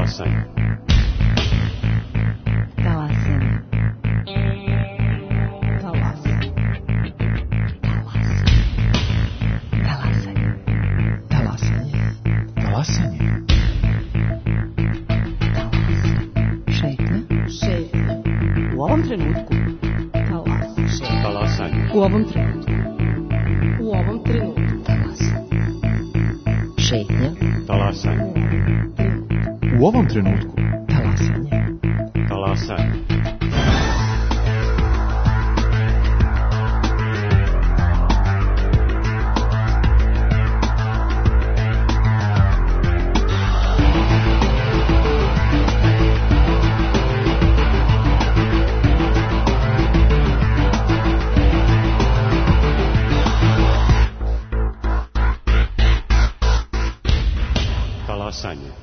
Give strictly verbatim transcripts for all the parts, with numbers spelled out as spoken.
Talasanje. Talasanje. Talasanje. Talasanje. Talasanje. Talasanje. Šetnja. Šetnja. U ovom trenutku. Talasanje. Talasanje. U ovom trenutku. U ovom trenutku. Talasanje. Šetnja. Talasanje. U ovom trenutku. Talasanje. Talasanje. Talasanje.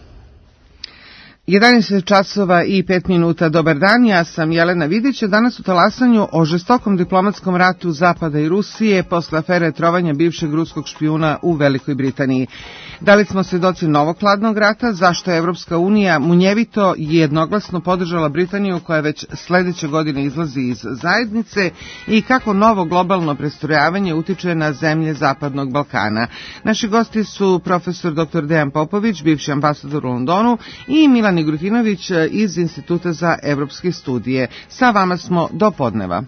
jedanaest časova i pet minuta. Dobar dan, ja sam Jelena Vidić. Danas u Talasanju o žestokom diplomatskom ratu Zapada i Rusije posle afere trovanja bivšeg ruskog špijuna u Velikoj Britaniji. Da li smo svedoci novog hladnog rata, zašto je Evropska unija munjevito i jednoglasno podržala Britaniju koja već sledeće godine izlazi iz zajednice i kako novo globalno prestrojavanje utiče na zemlje Zapadnog Balkana. Naši gosti su profesor doktor Dejan Popović, bivši ambasador u Londonu, i Milan Igrutinović iz Instituta za evropske studije. Sa vama smo do podneva.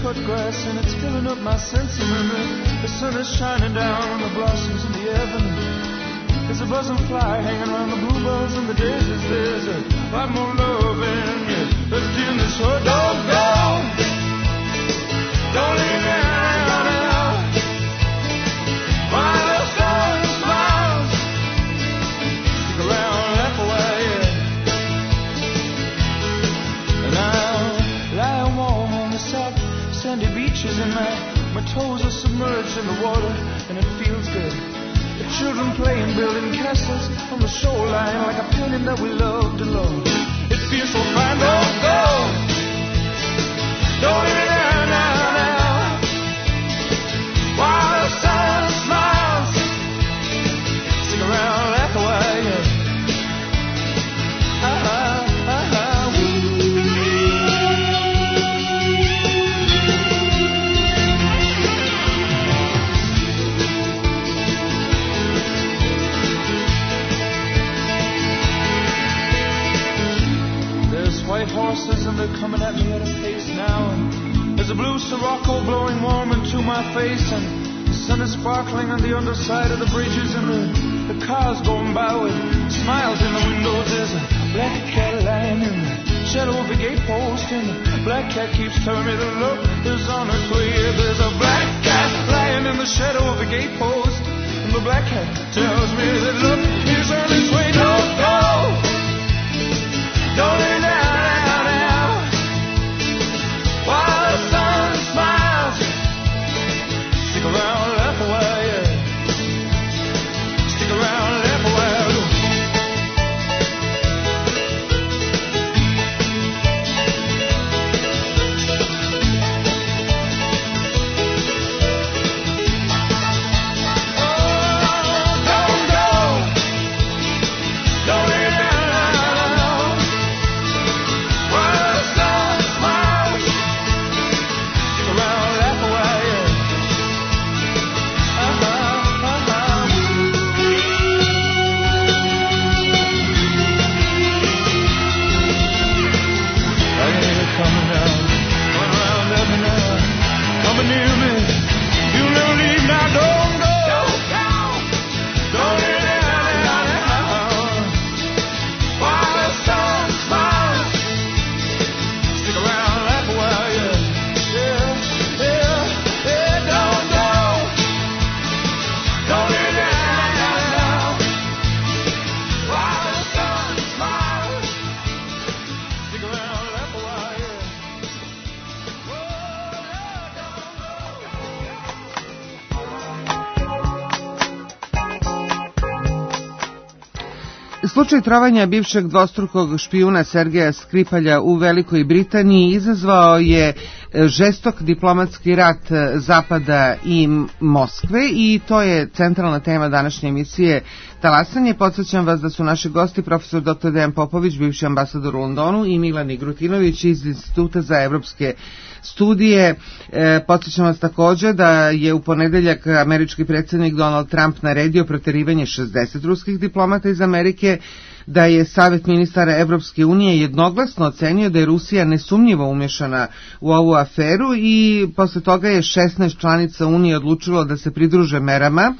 Cut grass and it's filling up my sense of memory. The sun is shining down on the blossoms in the avenue. There's a buzzing fly hanging around the bluebells and the daisies. There's a lot more love in you left in this heart. Don't go, don't leave me out now. While the sun smiles, stick around, laugh away, yeah. And I'll lie warm on the south sandy beaches and my, my toes are submerged in the water and it feels good. The children playing, building castles on the shoreline like a painting that we loved alone. It feels so fine. Don't go, don't leave it there now, now. While the sun smiles, stick around, laugh away, yeah. Ah, ah, ah, ah. White horses and they're coming at me at a pace now, and there's a blue Sirocco blowing warm into my face, and the sun is sparkling on the underside of the bridges, and the, the cars going by with smiles in the windows. There's a black cat lying in the shadow of a gate post, and the black cat keeps telling me that look is on its way. There's a black cat lying in the shadow of a gate post, and the black cat tells me that look is on its way. Don't go, don't let it down. While the sun smiles, stick around, laugh away, yeah. Stick around, laugh away. Oh, don't go. Slučaj trovanja bivšeg dvostrukog špijuna Sergeja Skripalja u Velikoj Britaniji izazvao je žestok diplomatski rat Zapada i Moskve i to je centralna tema današnje emisije Talasanje. Podsjećam vas da su naši gosti profesor doktor Dejan Popović, bivši ambasador u Londonu, i Milan Igrutinović iz Instituta za evropske studije. E, podsjećam vas također da je u ponedeljak američki predsjednik Donald Trump naredio proterivanje šezdeset ruskih diplomata iz Amerike, da je Savet ministara Evropske unije jednoglasno ocenio da je Rusija nesumnjivo umješana u ovu aferu i posle toga je šesnaest članica Unije odlučilo da se pridruže merama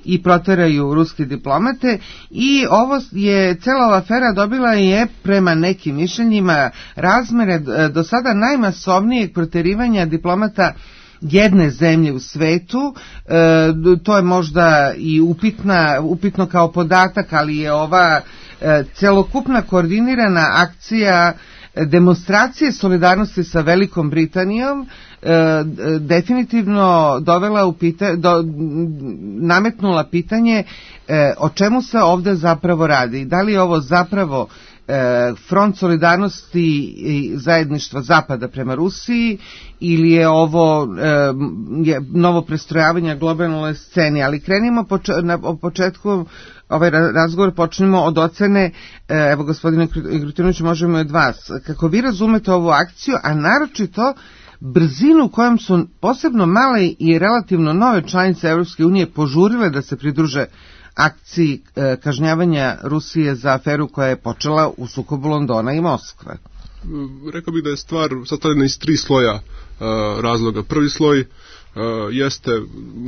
i proteraju ruske diplomate i ovo je, cela ova afera dobila je prema nekim mišljenjima razmere do sada najmasovnijeg proterivanja diplomata jedne zemlje u svetu. E, to je možda i upitna, upitno kao podatak, ali je ova e, celokupna koordinirana akcija demonstracije solidarnosti sa Velikom Britanijom e, definitivno dovela u pita, do, nametnula pitanje e, o čemu se ovdje zapravo radi. Da li je ovo zapravo e, front solidarnosti i zajedništva Zapada prema Rusiji ili je ovo e, je novo prestrojavanje globalnoj sceni, ali krenimo poč na početku ovaj razgovor počnemo od ocene, evo gospodine Igrutinoviću, možemo od vas, kako vi razumete ovu akciju, a naročito brzinu kojom su posebno male i relativno nove članice Evropske unije požurile da se pridruže akciji e, kažnjavanja Rusije za aferu koja je počela u sukobu Londona i Moskve. Rekao bih da je stvar sastavljena iz tri sloja uh, razloga. Prvi sloj Uh, jeste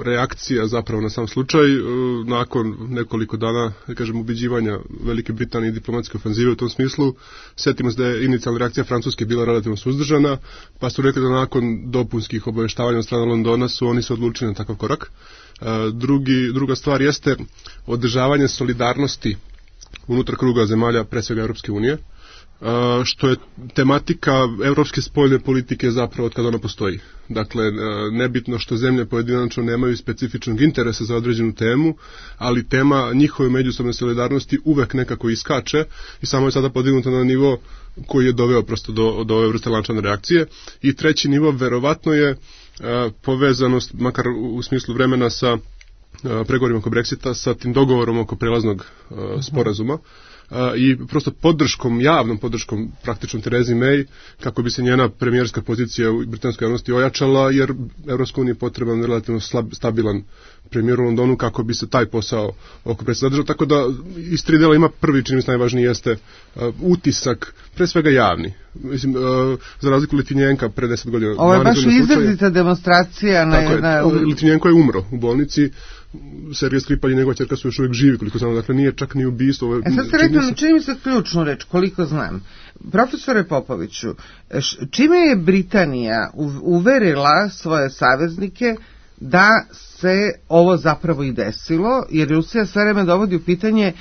reakcija zapravo na sam slučaj uh, nakon nekoliko dana, da kažem, ubeđivanja Velike Britanije i diplomatske ofenzive u tom smislu. Sjetimo se da je inicijalna reakcija Francuske bila relativno suzdržana, pa su rekli da nakon dopunskih obavještavanja od strane Londona su oni se odlučili na takav korak. Uh, drugi, druga stvar jeste održavanje solidarnosti unutar kruga zemalja, pre svega Europske unije, Uh, što je tematika evropske spoljne politike zapravo od kada ona postoji. Dakle, uh, nebitno što zemlje pojedinačno nemaju specifičnog interesa za određenu temu, ali tema njihove međusobne solidarnosti uvek nekako iskače i samo je sada podignuta na nivo koji je doveo prosto do, do ove vrste lančane reakcije. I treći nivo verovatno je uh, povezanost, makar u, u smislu vremena, sa uh, pregovorima oko Brexita, sa tim dogovorom oko prelaznog uh, sporazuma. Uh, i prosto podrškom, javnom podrškom praktično Terezi May, kako bi se njena premijerska pozicija u britanskoj javnosti ojačala, jer Evropska unija je potreban relativno slab, stabilan premijer u Londonu kako bi se taj posao oko Brexita zadržao, tako da iz tri dela ima prvi, čini mi se najvažniji, jeste uh, utisak, pre svega javni. Mislim, uh, za razliku Litvinjenka pre deset godina. Ovo je baš izrazita demonstracija. Na, tako je, na... Litvinjenko je umro u bolnici, Sergej Skripal i njegova ćerka su još uvijek živi, koliko znam, dakle nije čak ni ubistvo. E sad ste rekli, se... čini mi se ključnu reč, koliko znam. Profesore Popoviću, čime je Britanija uverila svoje saveznike da se ovo zapravo i desilo, jer Rusija sve vreme dovodi u pitanje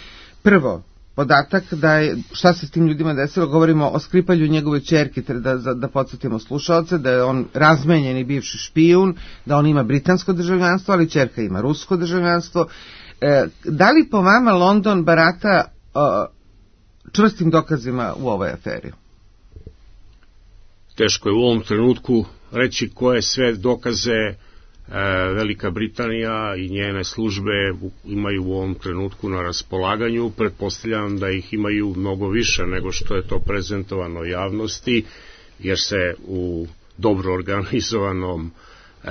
prvo podatak da je, šta se s tim ljudima desilo, govorimo o Skripalju i njegove ćerki, da, da, da podsjetimo slušalce, da je on razmenjeni bivši špijun, da on ima britansko državljanstvo, ali ćerka ima rusko državljanstvo. E, da li po vama London barata o, čvrstim dokazima u ovoj aferi? Teško je u ovom trenutku reći koje sve dokaze Velika Britanija i njene službe imaju u ovom trenutku na raspolaganju. Pretpostavljam da ih imaju mnogo više nego što je to prezentovano javnosti, jer se u dobro organizovanom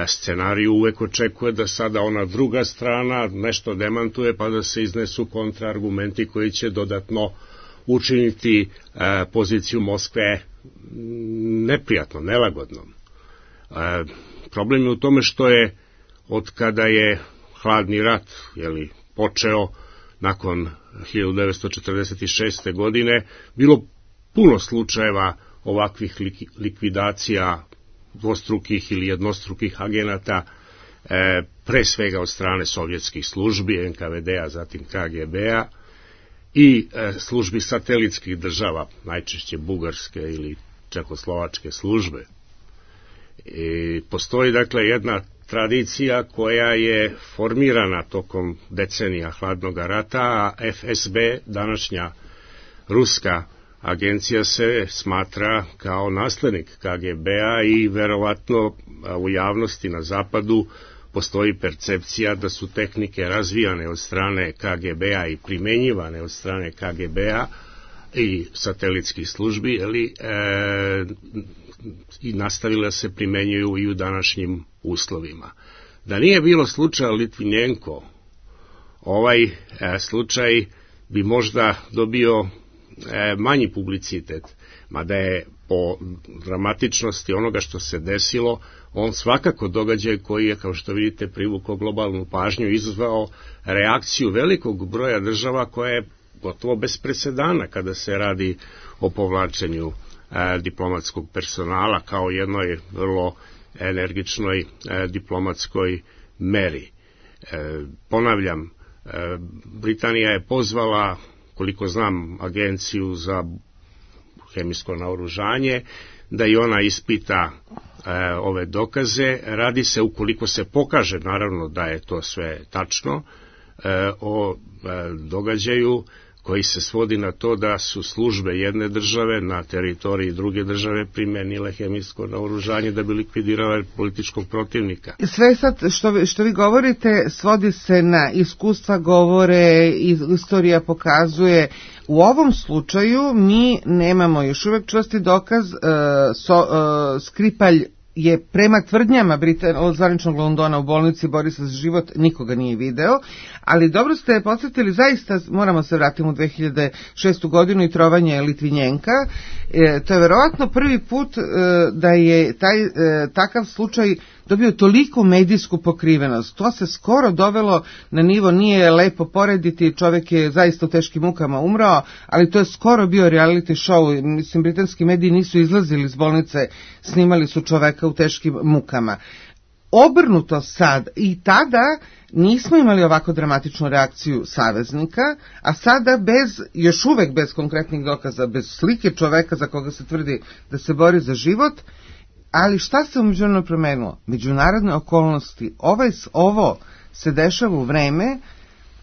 scenariju uvek očekuje da sada ona druga strana nešto demantuje, pa da se iznesu kontraargumenti koji će dodatno učiniti poziciju Moskve neprijatno, nelagodnom. Problem je u tome što je od kada je hladni rat, jeli, počeo nakon hiljadu devetsto četrdeset šeste. godine, bilo puno slučajeva ovakvih likvidacija dvostrukih ili jednostrukih agenata, e, pre svega od strane sovjetskih službi, en ka ve de-a, zatim ka ge be-a i e, službi satelitskih država, najčešće bugarske ili čehoslovačke službe. I postoji dakle jedna tradicija koja je formirana tokom decenija hladnog rata, a F S B, današnja ruska agencija, se smatra kao naslednik K G B-a i verovatno u javnosti na zapadu postoji percepcija da su tehnike razvijane od strane K G B-a i primenjivane od strane K G B-a i satelitskih službi, ali e, i nastavile se primenjuju i u današnjim uslovima. Da nije bilo slučaja Litvinenko, ovaj e, slučaj bi možda dobio e, manji publicitet, mada je po dramatičnosti onoga što se desilo, on svakako događaj koji je, kao što vidite, privukao globalnu pažnju, izazvao reakciju velikog broja država koja je gotovo bez presedana kada se radi o povlačenju e, diplomatskog personala kao jednoj vrlo energičnoj e, diplomatskoj meri. E, ponavljam, e, Britanija je pozvala, koliko znam, agenciju za hemijsko naoružanje, da i ona ispita e, ove dokaze. Radi se, ukoliko se pokaže, naravno, da je to sve tačno, e, o e, događaju koji se svodi na to da su službe jedne države na teritoriji druge države primenile hemijsko naoružanje da bi likvidirale političkog protivnika. Sve sad što, što vi govorite svodi se na iskustva, govore, istorija pokazuje. U ovom slučaju mi nemamo još uvek čvrsti dokaz, uh, so, uh, Skripalj je prema tvrdnjama Britan, od zvaničnog Londona u bolnici bori se za život, nikoga nije video, ali dobro ste podsjetili, zaista moramo se vratiti u dve hiljade šestu godinu i trovanje Litvinjenka. E, to je verovatno prvi put e, da je taj e, takav slučaj dobio toliko medijsku pokrivenost. To se skoro dovelo na nivo, nije lepo porediti, čovjek je zaista u teškim mukama umrao, ali to je skoro bio reality show. Mislim, britanski mediji nisu izlazili iz bolnice, snimali su čoveka u teškim mukama. Obrnuto sad, i tada nismo imali ovako dramatičnu reakciju saveznika, a sada bez, još uvek bez konkretnih dokaza, bez slike čoveka za koga se tvrdi da se bori za život. Ali šta se u međunarodno promenilo? Međunarodne okolnosti. Ovaj, ovo se dešava u vreme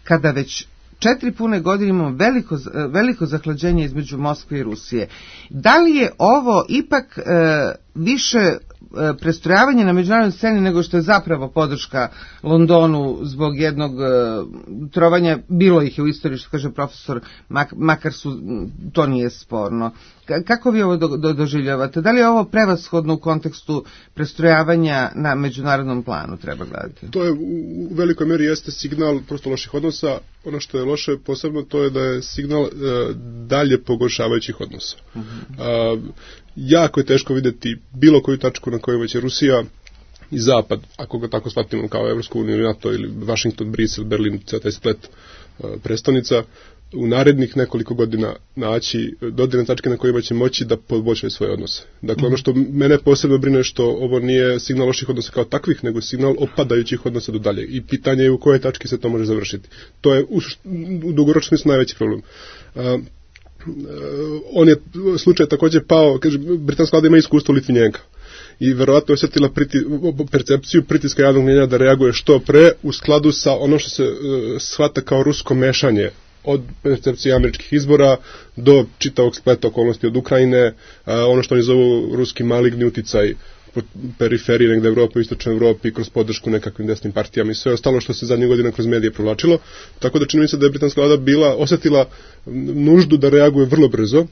kada već četiri pune godine imamo veliko, veliko zahlađenje između Moskve i Rusije. Da li je ovo ipak e, više e, prestrojavanje na međunarodnoj sceni nego što je zapravo podrška Londonu zbog jednog e, trovanja? Bilo ih je u istoriji, što kaže profesor, mak, makar su, to nije sporno. K- kako vi ovo do, do, doživljavate? Da li je ovo prevashodno u kontekstu prestrojavanja na međunarodnom planu, treba gledati? To je u velikoj meri jeste signal prosto loših odnosa. Ono što je loše posebno to je da je signal e, dalje pogoršavajućih odnosa. Uh-huh. A, jako je teško vidjeti bilo koju tačku na kojoj će Rusija i Zapad, ako ga tako shvatimo kao Evropsku uniju, NATO ili Washington, Brisel, Berlin, taj splet a, prestonica, u narednih nekoliko godina naći dodirne tačke na kojima će moći da poboljšaju svoje odnose. Dakle, ono što mene posebno brine je što ovo nije signal loših odnosa kao takvih, nego signal opadajućih odnosa do dalje. I pitanje je u kojoj tački se to može završiti. To je u, u dugoročnom smislu najveći problem. Uh, uh, on je slučaj također pao, kaže, britanska vlada ima iskustvo Litvinjenka i verovatno je osjetila priti, percepciju pritiska javnog mnjenja da reaguje što pre u skladu sa ono što se uh, shvata kao rusko mešanje od percepcije američkih izbora do čitavog spleta okolnosti od Ukrajine, a, ono što oni zovu ruski maligni uticaj po periferiji negde Evrope, u istočnoj Evropi, kroz podršku nekakvim desnim partijama i sve ostalo što se zadnjih godina kroz medije provlačilo. Tako da čini mi se da je britanska vlada bila, osjetila nuždu da reaguje vrlo brzo.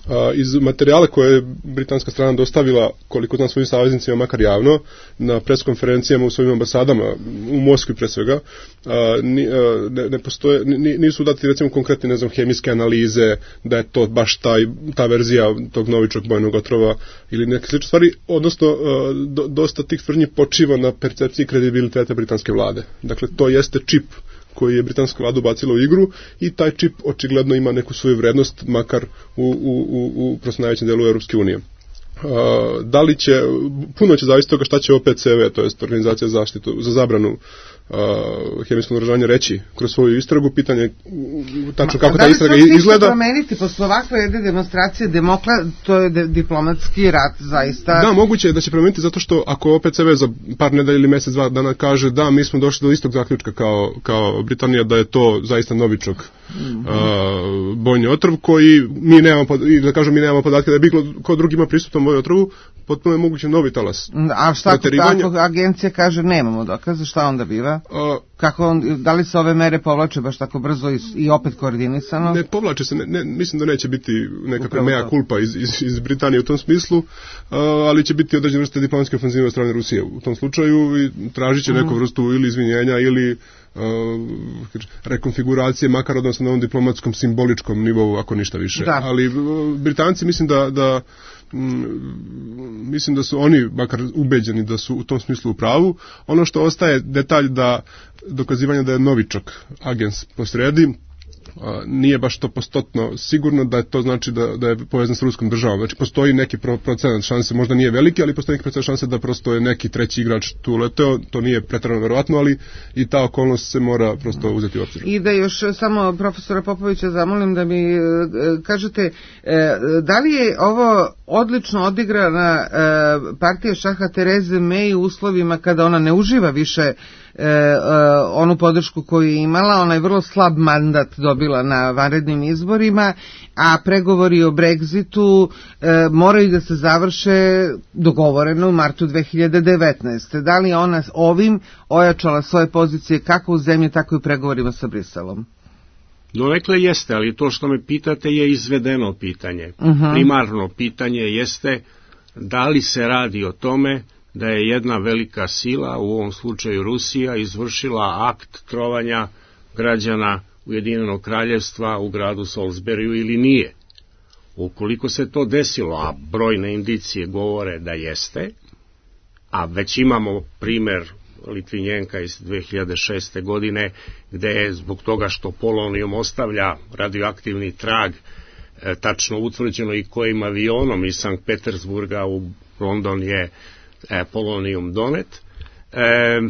A, iz materijala koje je britanska strana dostavila, koliko znam, svojim saveznicima, makar javno, na preskonferencijama u svojim ambasadama, u Moskvi pre svega, a, ni, a, ne, ne postoje, ni, nisu dati recimo konkretne, ne znam, hemijske analize, da je to baš taj, ta verzija tog novičnog bojnog otrova ili neke slične stvari, odnosno a, do, dosta tih tvrdnji počiva na percepciji kredibiliteta britanske vlade. Dakle, to jeste čip koji je britanska vlada ubacila u igru i taj čip očigledno ima neku svoju vrednost, makar u, u, u, u prosto najvećem delu Europske unije. Uh, da li će, puno će zavisiti toga šta će O P C V, to jest Organizacija za zaštitu, za zabranu uh, uh, hemijskog naoružanja reći kroz svoju istragu. Pitanje tačno kako da ta istraga izgleda. Da li se izgleda. promeniti posle ovakve jedne demonstracije demokla, to je de, diplomatski rat zaista. Da, moguće je da će promeniti zato što ako opet se za par nedelja ili mesec, dva dana kaže da mi smo došli do istog zaključka kao, kao Britanija, da je to zaista novičok mm-hmm. uh, bojni otrov koji mi nemamo, i da kažem mi nemamo podatke da je bilo ko drugi ima prisutan bojni otrovu, potpuno je moguće novi talas. A šta ako agencija kaže nemamo dokaze, šta onda biva? Uh, Kako on, da li se ove mere povlače baš tako brzo i, i opet koordinisano? Ne povlače se, ne, ne, mislim da neće biti nekakva mea culpa iz, iz, iz Britanije u tom smislu, uh, ali će biti određene vrste diplomatske ofenzive od strane Rusije u tom slučaju i tražit će mm. neku vrstu ili izvinjenja ili uh, rekonfiguracije, makar odnosno na ovom diplomatskom simboličkom nivou, ako ništa više. Da. Ali uh, Britanci mislim da, da mislim da su oni makar ubeđeni da su u tom smislu u pravu. Ono što ostaje detalj da dokazivanje da je novičok agens posredi, nije baš to postotno sigurno da je to znači da, da je povezan s ruskom državom. Znači postoji neki pro, procenat šanse, možda nije veliki, ali postoji neki procenat šanse da prosto je neki treći igrač tu leteo, to nije preterano verovatno, ali i ta okolnost se mora prosto uzeti u obzir. I da još samo profesora Popovića zamolim da mi e, kažete, e, da li je ovo odlično odigrana e, partija šaha Tereze May u uslovima kada ona ne uživa više E, e, onu podršku koju je imala, ona je vrlo slab mandat dobila na vanrednim izborima, a pregovori o Brexitu e, moraju da se završe dogovoreno u martu dve hiljade devetnaeste. Da li je ona ovim ojačala svoje pozicije kako u zemlji, tako i u pregovorima sa Briselom? Donekle jeste, ali to što me pitate je izvedeno pitanje. Uh-huh. Primarno pitanje jeste da li se radi o tome da je jedna velika sila, u ovom slučaju Rusija, izvršila akt trovanja građana Ujedinjenog kraljevstva u gradu Salisburyu ili nije. Ukoliko se to desilo, a brojne indicije govore da jeste, a već imamo primer Litvinjenka iz dve hiljade šeste. godine, gde je zbog toga što polonijum ostavlja radioaktivni trag, e, tačno utvrđeno i kojim avionom iz Sankt Petersburga u London je E, polonijum donet, e,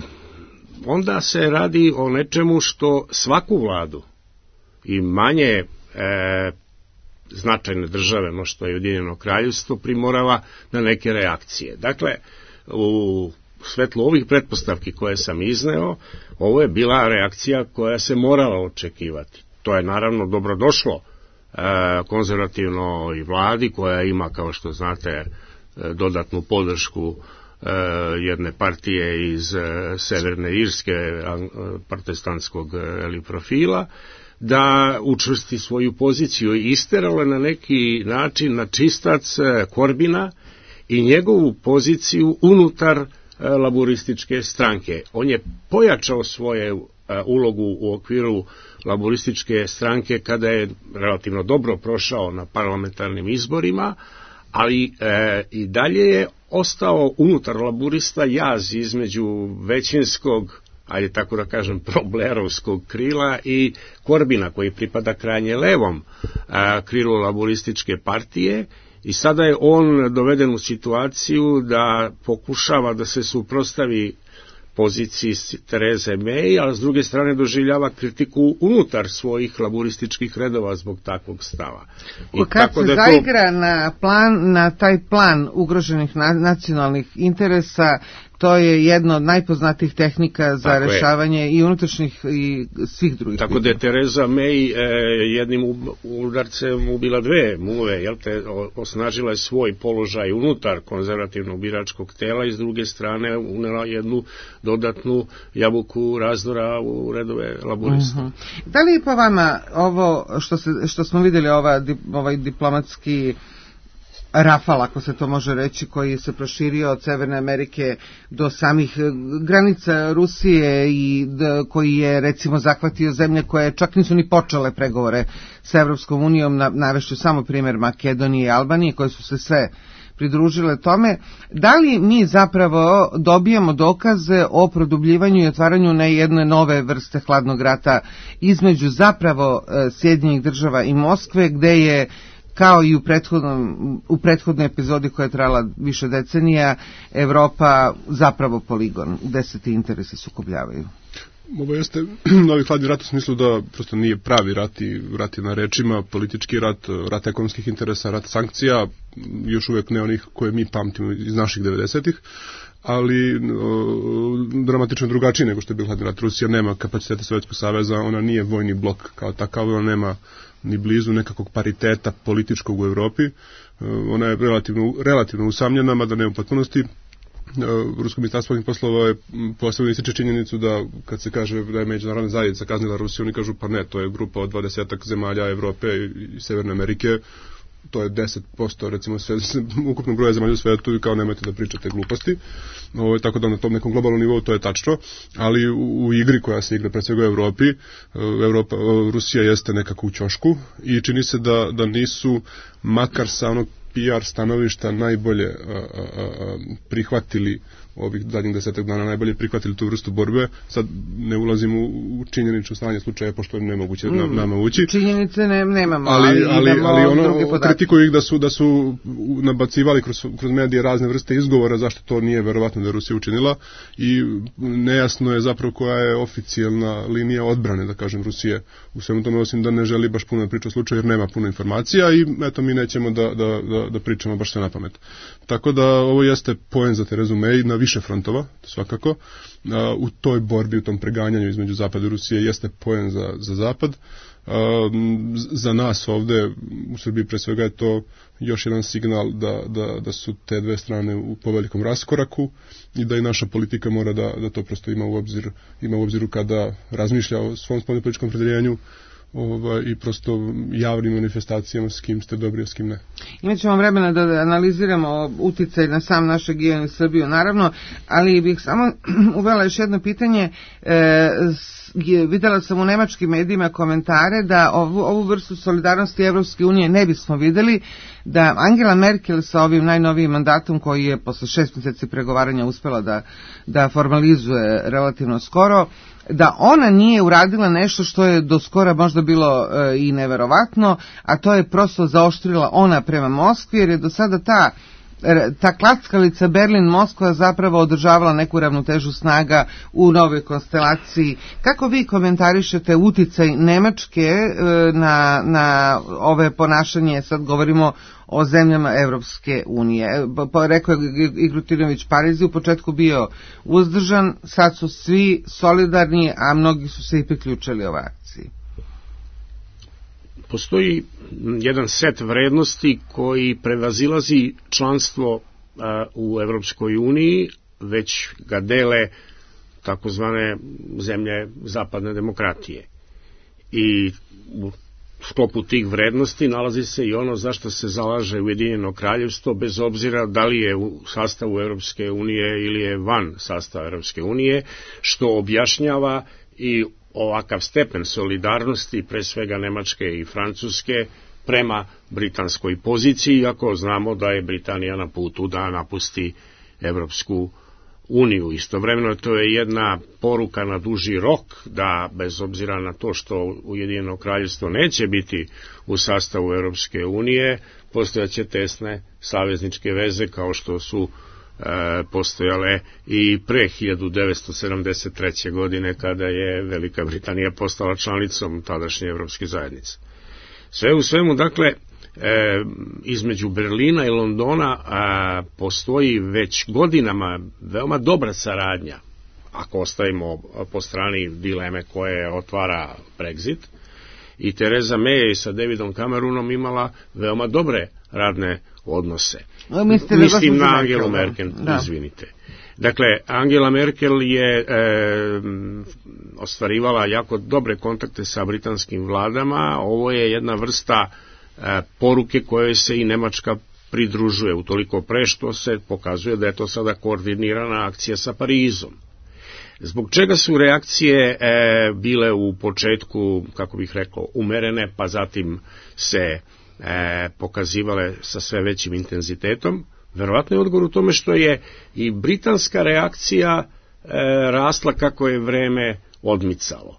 onda se radi o nečemu što svaku vladu i manje e, značajne države, no što je Ujedinjeno kraljevstvo, primorava na neke reakcije. Dakle, u svetlu ovih pretpostavki koje sam izneo, ovo je bila reakcija koja se morala očekivati. To je naravno dobrodošlo e, konzervativnoj vladi koja ima, kao što znate, e, dodatnu podršku jedne partije iz Severne Irske, protestantskog eli, profila, da učvrsti svoju poziciju i isterala na neki način na čistac Corbina i njegovu poziciju unutar laburističke stranke. On je pojačao svoju ulogu u okviru laburističke stranke kada je relativno dobro prošao na parlamentarnim izborima, ali e, i dalje je ostao unutar laburista jaz između većinskog, ajde tako da kažem, problerovskog krila i Corbina, koji pripada krajnje levom a, krilu laburističke partije, i sada je on doveden u situaciju da pokušava da se suprotstavi poziciji Tereze May, a s druge strane doživljava kritiku unutar svojih laburističkih redova zbog takvog stava. I kad tako se da zaigra to... na, plan, na taj plan ugroženih na, nacionalnih interesa, to je jedno od najpoznatijih tehnika za tako rešavanje je. I unutrašnjih i svih drugih. Tako da je Tereza May e, jednim udarcem ubila dve muve, jel te, osnažila je svoj položaj unutar konzervativnog biračkog tela i s druge strane unela jednu dodatnu jabuku razdora u redove laburista. Uh-huh. Da li je po vama ovo što, se, što smo vidjeli, ova, ovaj diplomatski rafal, ako se to može reći, koji se proširio od Severne Amerike do samih granica Rusije i d, koji je recimo zahvatio zemlje koje čak nisu ni počele pregovore sa Evropskom unijom, na, navešću samo primjer Makedonije i Albanije, koje su se sve pridružile tome. Da li mi zapravo dobijamo dokaze o produbljivanju i otvaranju na jedne nove vrste hladnog rata između zapravo Sjedinjenih država i Moskve, gde je, kao i u, prethodnom, u prethodnoj epizodi koja je trajala više decenija, Evropa zapravo poligon, gde se ti interesi sukobljavaju? Ovo jeste novi hladni rat u smislu da prosto nije pravi rat i rat je na rečima, politički rat, rat ekonomskih interesa, rat sankcija, još uvijek ne onih koje mi pamtimo iz naših devedesetih, ali o, dramatično drugačiji nego što je bio hladni rat. Rusija nema kapacitete Sovjetskog saveza, ona nije vojni blok kao takav, ona nema ni blizu nekakvog pariteta političkog u Evropi, ona je relativno, relativno usamljena, mada ne u potpunosti. Rusko ministarstvo spoljnih poslova je posebno ističe činjenicu da kad se kaže da je međunarodna zajednica kaznila Rusiju, oni kažu pa ne, to je grupa od dvadesetak zemalja Evrope i Severne Amerike, to je deset posto recimo sve, ukupnog broja zemalja u svetu i kao nemojte da pričate gluposti. Ovo, tako da na tom nekom globalnom nivou to je tačno, ali u, u igri koja se igra pred svega u Evropi, Evropa, Rusija jeste nekako u ćošku i čini se da, da nisu makar sa onog P R stanovišta najbolje a, a, a, prihvatili ovih zadnjih desetak dana, najbolje prihvatili tu vrstu borbe. Sad ne ulazim u, u činjenično stanje slučaja, pošto je nemoguće mm, nam, nama ući. Činjenice ne, nemamo, ali, ali, ali, ali ono, kritikuju ih da su, da su nabacivali kroz, kroz medije razne vrste izgovora zašto to nije verovatno da je Rusija učinila i nejasno je zapravo koja je oficijalna linija odbrane, da kažem, Rusije u svemu tome, osim da ne želi baš puno priča o slučaju jer nema puno informacija i eto mi nećemo da, da, da, da pričamo baš sve na pamet. Tako da ovo jeste poen za Terezu May na više frontova, svakako. U toj borbi, u tom preganjanju između Zapada i Rusije jeste poen za, za Zapad. Za nas ovde u Srbiji pre svega je to još jedan signal da, da, da su te dve strane u povelikom raskoraku i da i naša politika mora da, da to prosto ima u obzir, ima u obziru kada razmišlja o svom spoljnopolitičkom opredeljenju Ova, i prosto javnim manifestacijama s kim ste dobri, a s kim ne. Imaćemo vremena da analiziramo uticaj na sam naš region i Srbiju, naravno, ali bih samo uvela još jedno pitanje. E, videla sam u nemačkim medijima komentare da ovu, ovu vrstu solidarnosti Evropske unije ne bismo videli, da Angela Merkel sa ovim najnovijim mandatom koji je posle šest mjeseci pregovaranja uspela da, da formalizuje relativno skoro, da ona nije uradila nešto što je do skora možda bilo e, i neverovatno, a to je prosto zaoštrila ona prema Moskvi, jer je do sada ta ta klackalica Berlin-Moskva zapravo održavala neku ravnotežu snaga u novoj konstelaciji. Kako vi komentarišete uticaj Nemačke e, na, na ove ponašanje, sad govorimo o zemljama Evropske unije? Pa, rekao je Igrutinović Parizi, u početku bio uzdržan, sad su svi solidarni, a mnogi su se i priključili ovoj akciji. Postoji jedan set vrednosti koji prevazilazi članstvo a, u Evropskoj uniji, već ga dele takozvane zemlje zapadne demokratije. I u sklopu tih vrednosti nalazi se i ono zašto se zalaže Ujedinjeno kraljevstvo, bez obzira da li je u sastavu Evropske unije ili je van sastava Evropske unije, što objašnjava i ovakav stepen solidarnosti, pre svega Nemačke i Francuske, prema britanskoj poziciji, iako znamo da je Britanija na putu da napusti Evropsku uniju. Istovremeno to je jedna poruka na duži rok, da bez obzira na to što Ujedinjeno kraljevstvo neće biti u sastavu Evropske unije, postojaće tesne savezničke veze kao što su E, postojale i pre hiljadu devetsto sedamdeset treće. godine kada je Velika Britanija postala članicom tadašnje Evropske zajednice. Sve u svemu, dakle, e, između Berlina i Londona a, postoji već godinama veoma dobra saradnja, ako ostavimo po strani dileme koje otvara Brexit, i Tereza May je sa Davidom Cameronom imala veoma dobre radne odnose. No, Mislim na Angelu Merkel, da. izvinite. Dakle, Angela Merkel je e, ostvarivala jako dobre kontakte sa britanskim vladama. Ovo je jedna vrsta e, poruke koje se i Nemačka pridružuje, utoliko pre što se pokazuje da je to sada koordinirana akcija sa Parizom. Zbog čega su reakcije e, bile u početku, kako bih rekao, umerene, pa zatim se e, pokazivale sa sve većim intenzitetom? Verovatno je odgovor u tome što je i britanska reakcija e, rasla kako je vreme odmicalo.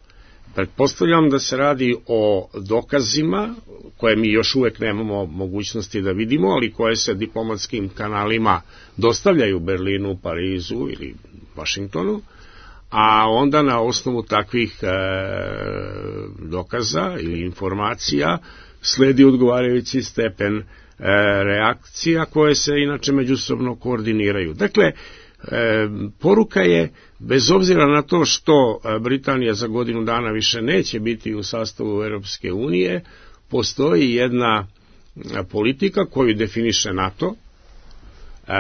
Pretpostavljam da se radi o dokazima koje mi još uvek nemamo mogućnosti da vidimo, ali koje se diplomatskim kanalima dostavljaju Berlinu, Parizu ili Vašingtonu, a onda na osnovu takvih e, dokaza ili informacija sledi odgovarajući stepen e, reakcija koje se inače međusobno koordiniraju. Dakle, e, poruka je, bez obzira na to što Britanija za godinu dana više neće biti u sastavu Europske unije, postoji jedna politika koju definiše NATO. E,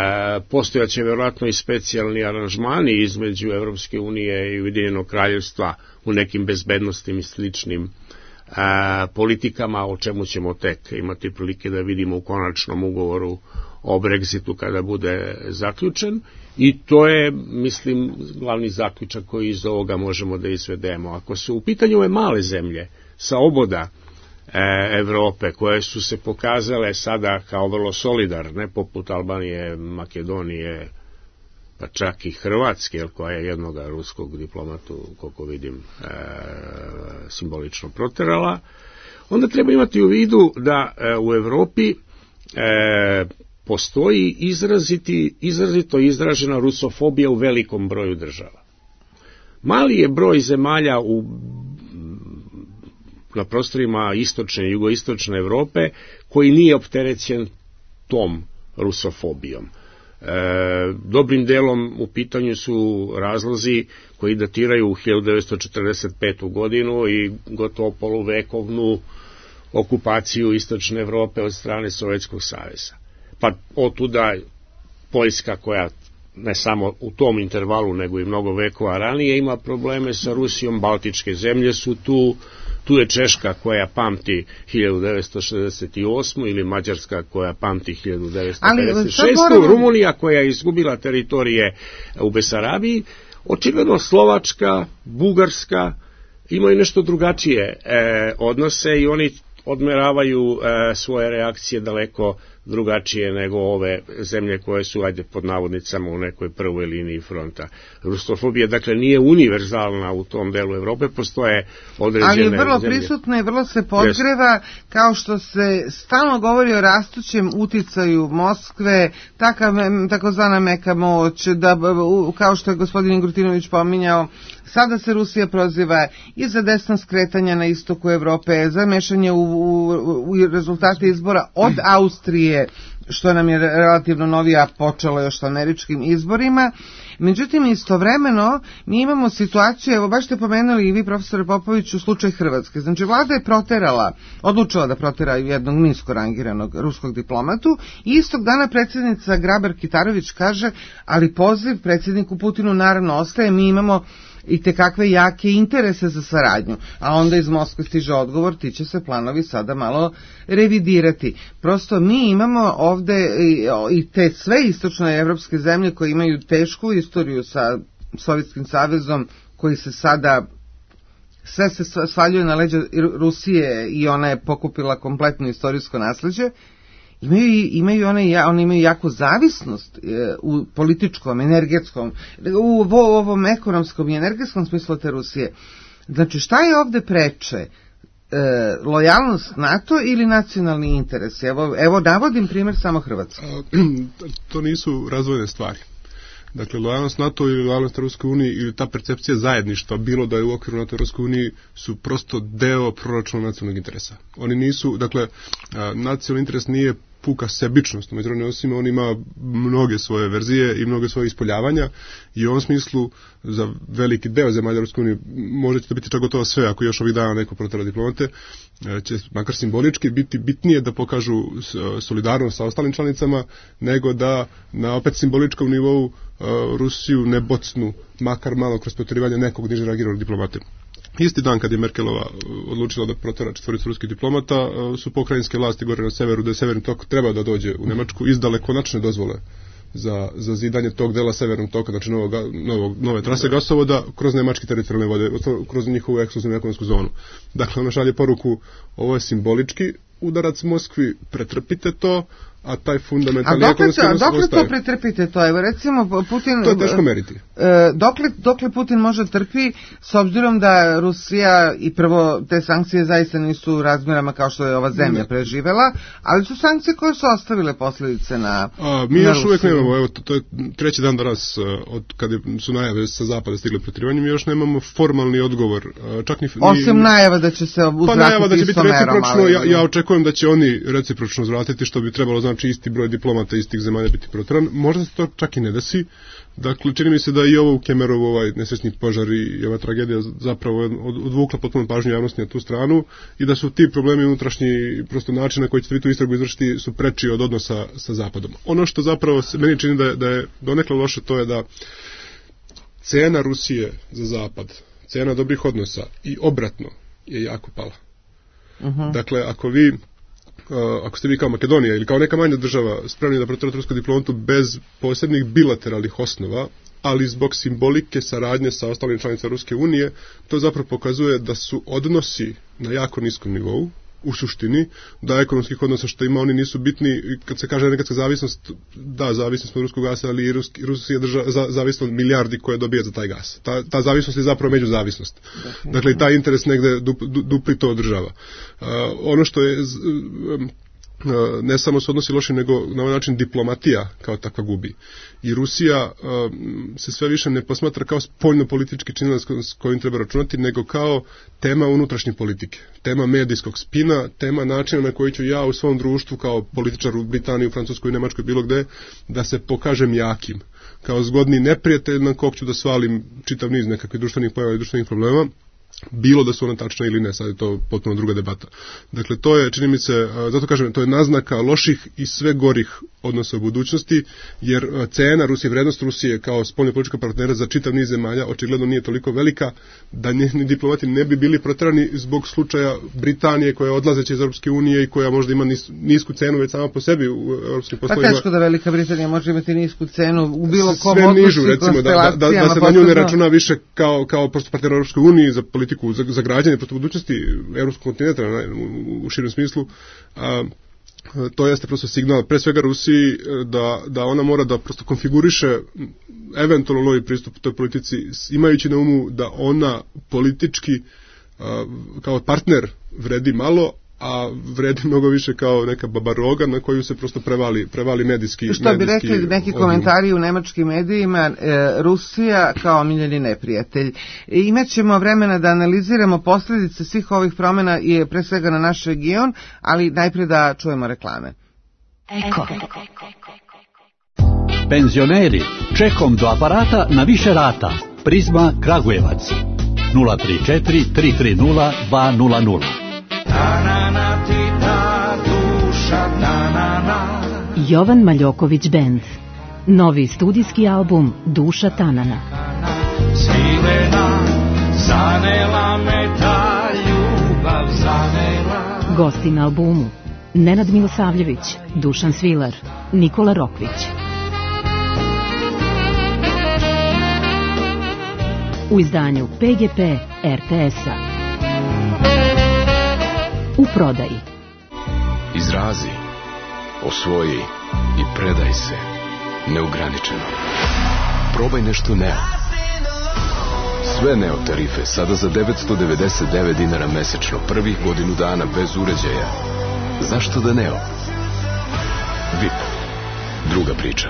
postojaće vjerojatno i specijalni aranžmani između Europske unije i Ujedinjenog kraljevstva u nekim bezbednostim i sličnim e, politikama, o čemu ćemo tek imati prilike da vidimo u konačnom ugovoru o Brexitu kada bude zaključen, i to je, mislim, glavni zaključak koji iz ovoga možemo da izvedemo. Ako su u pitanju ove male zemlje sa oboda Evrope, koje su se pokazale sada kao vrlo solidarne, poput Albanije, Makedonije, pa čak i Hrvatske, koja je jednog ruskog diplomatu, koliko vidim, e, simbolično proterala, onda treba imati u vidu da e, u Evropi e, postoji izraziti, izrazito izražena rusofobija u velikom broju država. Mali je broj zemalja u na prostorima istočne i jugoistočne Evrope koji nije opterećen tom rusofobijom. E, dobrim delom u pitanju su razlozi koji datiraju u hiljadu devetsto četrdeset petu godinu i gotovo poluvekovnu okupaciju istočne Evrope od strane Sovjetskog saveza. Pa otuda Poljska, koja ne samo u tom intervalu nego i mnogo vekova ranije ima probleme sa Rusijom, baltičke zemlje su tu, tu je Češka koja pamti hiljadu devetsto šezdeset osmu ili Mađarska koja pamti hiljadu devetsto pedeset šestu moramo... Rumunija koja je izgubila teritorije u Besarabiji, očigledno Slovačka, Bugarska imaju nešto drugačije e, odnose i oni odmeravaju e, svoje reakcije daleko drugačije nego ove zemlje koje su, ajde, pod navodnicama u nekoj prvoj liniji fronta. Rusofobija, dakle, nije univerzalna u tom delu Evrope, postoje određene ali je vrlo zemlje. prisutna i vrlo se podgreva, yes. Kao što se stalno govori o rastućem uticaju Moskve, takav, takozvana meka moć, da, kao što je gospodin Grutinović pominjao, sada se Rusija proziva i za desna skretanja na istoku Evrope, za mešanje u, u, u rezultate izbora od Austrije, što nam je relativno novija počelo još sa američkim izborima. Međutim, istovremeno mi imamo situaciju, evo baš ste pomenuli i vi, profesore Popović, u slučaj Hrvatske. Znači, vlada je proterala, odlučila da protera jednog nisko rangiranog ruskog diplomatu i istog dana predsjednica Grabar-Kitarović kaže, ali poziv predsjedniku Putinu naravno ostaje, mi imamo i te kakve jake interese za saradnju, a onda iz Moskve stiže odgovor, ti će se planovi sada malo revidirati. Prosto mi imamo ovde i te sve istočne evropske zemlje koje imaju tešku istoriju sa Sovjetskim savezom, koji se sada sve se svaljuje na leđa Rusije i ona je pokupila kompletno istorijsko nasleđe. Imaju, imaju one, one imaju jako zavisnost e, u političkom, energetskom, u, u ovom ekonomskom i energetskom smislu te Rusije. Znači, šta je ovde preče? E, lojalnost NATO ili nacionalni interes? Evo, evo navodim primjer samo Hrvatske. To nisu razvojne stvari. Dakle, lojalnost NATO ili lojalnost Ruskoj uniji ili ta percepcija zajedništva, bilo da je u okviru NATO i Ruskoj uniji, su prosto deo proračuna nacionalnog interesa. Oni nisu, dakle, nacionalni interes nije puka sebičnost, međutim, osim on ima mnoge svoje verzije i mnoge svoje ispoljavanja i u ovom smislu za veliki deo zemalja Ruske unije može će to biti čak gotovo sve, ako još ovih dana neko protera diplomate, će makar simbolički biti bitnije da pokažu solidarnost sa ostalim članicama, nego da na opet simboličkom nivou Rusiju ne bocnu makar malo kroz proterivanje nekog niže rangiranog diplomate. Isti dan kad je Merkelova odlučila da protera četvoricu ruskih diplomata, su pokrajinske vlasti gore na severu, da je Severni tok treba da dođe u Nemačku, izdale konačne dozvole za, za zidanje tog dela Severnog toka, znači novog, novog, nove trase gasovoda kroz nemački teritorijalne vode, kroz njihovu ekskluzivnu ekonomsku zonu. Dakle, ona šalje poruku, ovo je simbolički udarac Moskvi, pretrpite to, a taj A fundamentalni dokle, ekonomski to, odnos dokle to ostaje. pretrpite to? Evo recimo Putin... To je teško meriti. E, dokle, dokle Putin može trpi, s obzirom da Rusija i prvo te sankcije zaista nisu u razmjerama kao što je ova zemlja preživela, ali su sankcije koje su ostavile posljedice na A, mi na još uvijek Rusiju. nemamo, evo, to, to je treći dan danas od kada su najave sa zapada stigle protirivanje, mi još nemamo formalni odgovor. Čak ni, ni, Osim najava da će se uzvratiti pa najava da će biti istomerom, recipročno, ali... ja, ja očekujem da će oni recipročno uzvratiti, što bi trebalo znači isti broj diplomata istih zemalja biti protiran. Možda se to čak i ne desi. Dakle, čini mi se da i ovo u Kemerovu, ovaj nesrećni požar i ova tragedija zapravo odvukla potpuno pažnju javnosti na tu stranu i da su ti problemi unutrašnji, prosto način na koji ćete vi tu istragu izvršiti su preči od odnosa sa Zapadom. Ono što zapravo se meni čini da je, da je donekle loše, to je da cena Rusije za Zapad, cena dobrih odnosa i obratno je jako pala. Uh-huh. Dakle, ako vi Uh, ako ste vi kao Makedonija ili kao neka manja država spremni da protirate rusku diplomatu bez posebnih bilateralnih osnova, ali zbog simbolike saradnje sa ostalim članicama Ruske unije, to zapravo pokazuje da su odnosi na jako niskom nivou, u suštini, da ekonomskih odnosa što ima oni nisu bitni. Kad se kaže nekadska zavisnost, da, zavisnost od ruskog gasa, ali i Ruski, Rusija drža, za, zavisno od milijardi koje dobija za taj gas. Ta, ta zavisnost je zapravo međuzavisnost. Dakle, taj interes negde dup, du, dupli to održava. Uh, ono što je um, ne samo se odnosi loše, nego na ovaj način diplomatija kao takva gubi. I Rusija um, se sve više ne posmatra kao spoljno-politički činilac s kojim treba računati, nego kao tema unutrašnje politike, tema medijskog spina, tema načina na koji ću ja u svom društvu kao političar u Britaniji, u Francuskoj i Nemačkoj, bilo gde, da se pokažem jakim, kao zgodni neprijatelj na kog ću da svalim čitav niz nekakvih društvenih pojava i društvenih problema, bilo da su ona tačna ili ne, sad je to potpuno druga debata. Dakle, to je, čini mi se, zato kažem, to je naznaka loših i sve gorih odnosa u budućnosti, jer cena Rusije, vrednost Rusije kao spoljno politička partnera za čitav niz zemalja očigledno nije toliko velika da ni, ni diplomati ne bi bili proterani zbog slučaja Britanije koja je odlazeća iz Europske unije i koja možda ima nis, nisku cenu već sama po sebi u europskim poslovima. Pa teško da Velika Britanija može imati nisku cenu u bilo kom sve odnosu nižu, i recimo, da, da, da se na nju ne računa više kao, kao prosto partner Europske unije za politiku, za, za građanje prosto budućnosti evropskog kontinenta u, u širem smislu. A, to jeste prosto signal pre svega Rusiji da, da ona mora da prosto konfiguriše eventualno novi pristup toj politici, imajući na umu da ona politički a, kao partner vredi malo, a vredi mnogo više kao neka babaroga na koju se prosto prevali, prevali medijski. Što bi medijski rekli neki odmah. Komentari u nemačkim medijima, e, Rusija kao omiljeni neprijatelj. E, imaćemo vremena da analiziramo posljedice svih ovih promjena i pre svega na naš region, ali najprije da čujemo reklame. Eko. Penzioneri, čekom do aparata na više rata. Prizma Kragujevac. nula tri četiri tri tri nula dva nula nula. Jovan Maljoković Band. Novi studijski album Duša Tanana. Svilena, zanela me ta ljubav, zanela. Gosti na albumu Nenad Milosavljević, Dušan Svilar, Nikola Rokvić. U izdanju P G P R T S-a. U prodaji. Izrazi, osvoji i predaj se neograničeno. Probaj nešto Neo. Sve Neo tarife sada za devetsto devedeset devet dinara mesečno, prvih godinu dana bez uređaja. Zašto da Neo? V I P. Druga priča.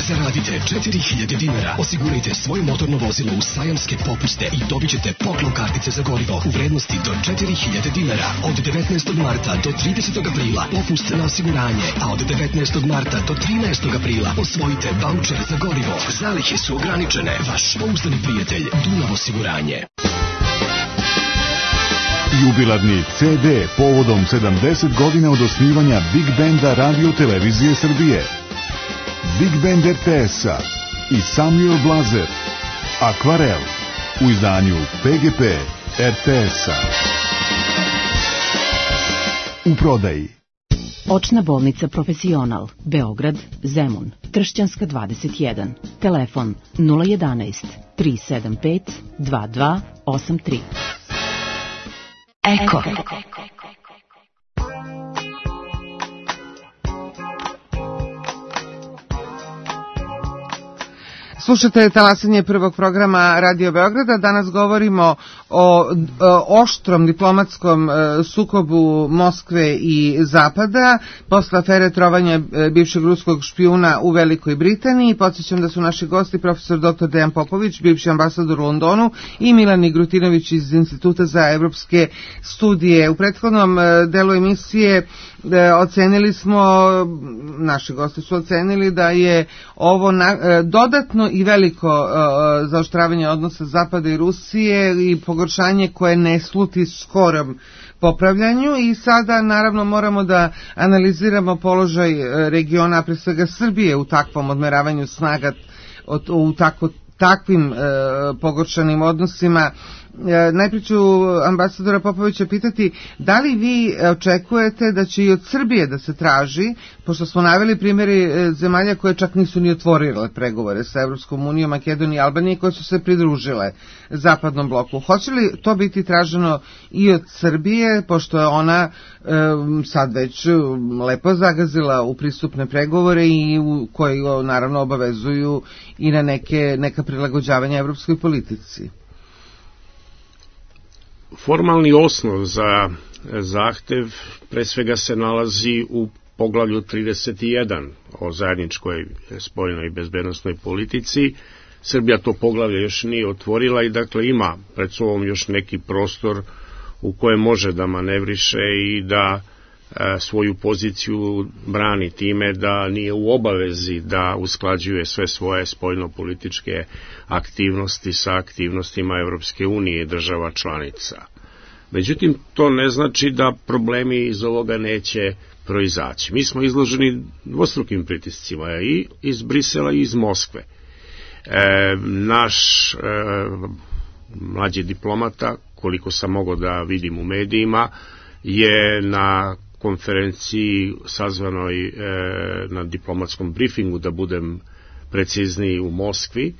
Zaradite četiri hiljade dinara, osigurajte svoje motorno vozilo u sajamske popuste i dobit ćete poklon kartice za gorivo u vrednosti do četiri hiljade dinara. Od devetnaestog marta do tridesetog aprila popust na osiguranje, a od devetnaestog marta do trinaestog aprila osvojite vaučer za gorivo. Zalihe su ograničene. Vaš pouzdani prijatelj Dunav osiguranje. Jubilarni C D povodom sedamdeset godina od osnivanja Big Benda Radio Televizije Srbije. Big Band R T S-a i Samuel Blazer, Akvarel, u izdanju P G P R T S-a. U prodaji. Očna bolnica Profesional, Beograd, Zemun, Tršćanska dvadeset jedan. Telefon nula jedanaest tri sedam pet dva dva osam tri. Eko. Slušate talasanje prvog programa Radio Beograda. Danas govorimo o, o oštrom diplomatskom sukobu Moskve i Zapada posle afere trovanja bivšeg ruskog špijuna u Velikoj Britaniji. Podsjećam da su naši gosti profesor doktor Dejan Popović, bivši ambasador u Londonu, i Milan Igrutinović iz Instituta za evropske studije. U prethodnom delu emisije ocenili smo, naši gosti su ocenili da je ovo na, dodatno i veliko uh, zaoštravanje odnosa Zapada i Rusije i pogoršanje koje ne sluti skorom popravljanju, i sada naravno moramo da analiziramo položaj regiona, a pre svega Srbije, u takvom odmeravanju snaga, u tako, takvim uh, pogoršanim odnosima. Najprije ću ambasadora Popovića pitati da li vi očekujete da će i od Srbije da se traži, pošto smo naveli primjeri zemalja koje čak nisu ni otvorile pregovore sa Evropskom unijom, Makedonije i Albanije, koje su se pridružile zapadnom bloku. Hoće li to biti traženo i od Srbije, pošto je ona e, sad već lepo zagazila u pristupne pregovore i u, koji naravno obavezuju i na neke, neka prilagođavanja evropskoj politici? Formalni osnov za zahtev pre svega se nalazi u poglavlju trideset jedan o zajedničkoj spoljnoj i bezbednosnoj politici. Srbija to poglavlje još nije otvorila i dakle ima pred sobom još neki prostor u kojem može da manevriše i da e, svoju poziciju brani time da nije u obavezi da usklađuje sve svoje spoljnopolitičke aktivnosti sa aktivnostima Evropske unije i država članica. Međutim, to ne znači da problemi iz ovoga neće proizaći. Mi smo izloženi dvostrukim pritiscima i iz Brisela i iz Moskve. E, naš e, mlađi diplomata, koliko sam mogao da vidim u medijima, je na konferenciji sazvanoj e, na diplomatskom briefingu, da budem precizniji, u Moskvi,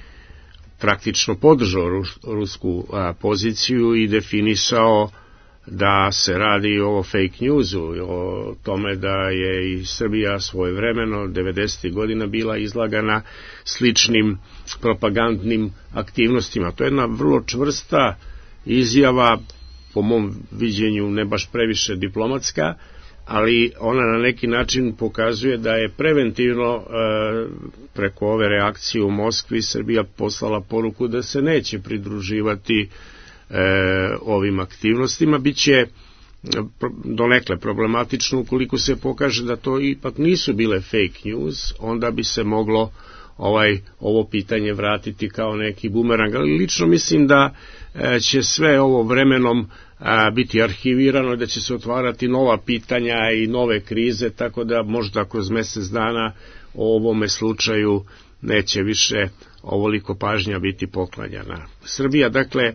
praktično podržao rus, rusku a, poziciju i definisao da se radi o fake newsu, o tome da je i Srbija svojevremeno devedesetih godina bila izlagana sličnim propagandnim aktivnostima. To je jedna vrlo čvrsta izjava, po mom viđenju ne baš previše diplomatska, ali ona na neki način pokazuje da je preventivno e, preko ove reakcije u Moskvi Srbija poslala poruku da se neće pridruživati e, ovim aktivnostima. Biće donekle problematično ukoliko se pokaže da to ipak nisu bile fake news, onda bi se moglo ovaj ovo pitanje vratiti kao neki bumerang, ali lično mislim da e, će sve ovo vremenom a, biti arhivirano i da će se otvarati nova pitanja i nove krize, tako da možda kroz mjesec dana o ovome slučaju neće više ovoliko pažnja biti poklanjana. Srbija, dakle, e,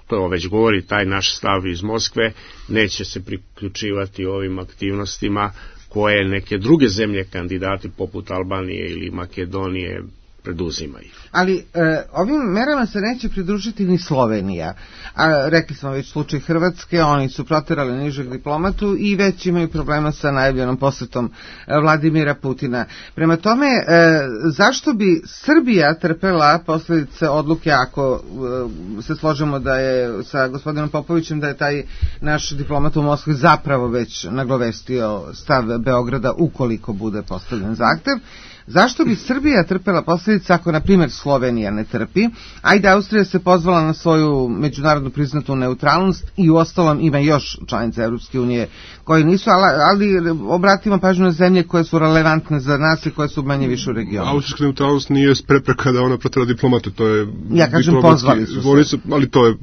to već govori taj naš stav iz Moskve, neće se priključivati ovim aktivnostima koje neke druge zemlje kandidati poput Albanije ili Makedonije preduzimaju. Ali e, ovim merama se neće pridružiti ni Slovenija. A rekli smo već slučaj Hrvatske, oni su proterali nižeg diplomatu i već imaju problema sa najavljenom posetom Vladimira Putina. Prema tome, e, zašto bi Srbija trpela posljedice odluke, ako e, se složimo da je sa gospodinom Popovićem da je taj naš diplomat u Moskvi zapravo već nagovestio stav Beograda ukoliko bude postavljen zahtev? Zašto bi Srbija trpela posljedice ako, na primjer, Slovenija ne trpi? Ajde, Austrija se pozvala na svoju međunarodno priznatu neutralnost i u ostalom ima još članica Evropske unije koji nisu, ali, ali obratimo pažnju na zemlje koje su relevantne za nas i koje su manje više u regionu. Austrijska neutralnost nije prepreka da ona protera diplomatu, to je... Ja kažem, pozvali su se. Ali to je